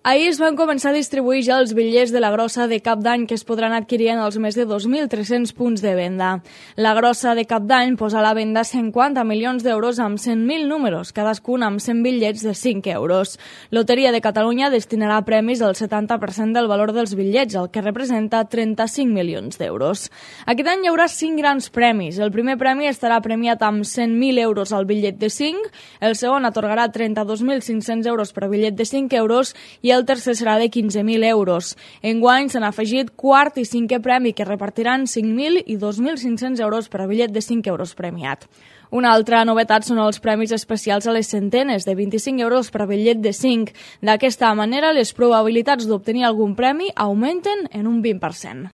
Ahir es van començar a distribuir ja els bitllets de la grossa de Cap d'Any que es podran adquirir en els més de 2.300 punts de venda. La grossa de Cap d'Any posa a la venda 50 milions d'euros amb 100.000 números, cadascun amb 100 bitllets de 5 euros. Loteria de Catalunya destinarà premis al 70% del valor dels bitllets, el que representa 35 milions d'euros. Aquest any hi haurà 5 grans premis. El primer premi estarà premiat amb 100.000 euros al bitllet de 5, el segon atorgarà 32.500 euros per bitllet de 5 euros i el tercer serà de 15.000 euros. Enguany s'han afegit quart i cinquè premi que repartiran 5.000 i 2.500 euros per a bitllet de 5 euros premiat. Una altra novetat són els premis especials a les centenes, de 25 euros per a bitllet de 5. D'aquesta manera, les probabilitats d'obtenir algun premi augmenten en un 20%.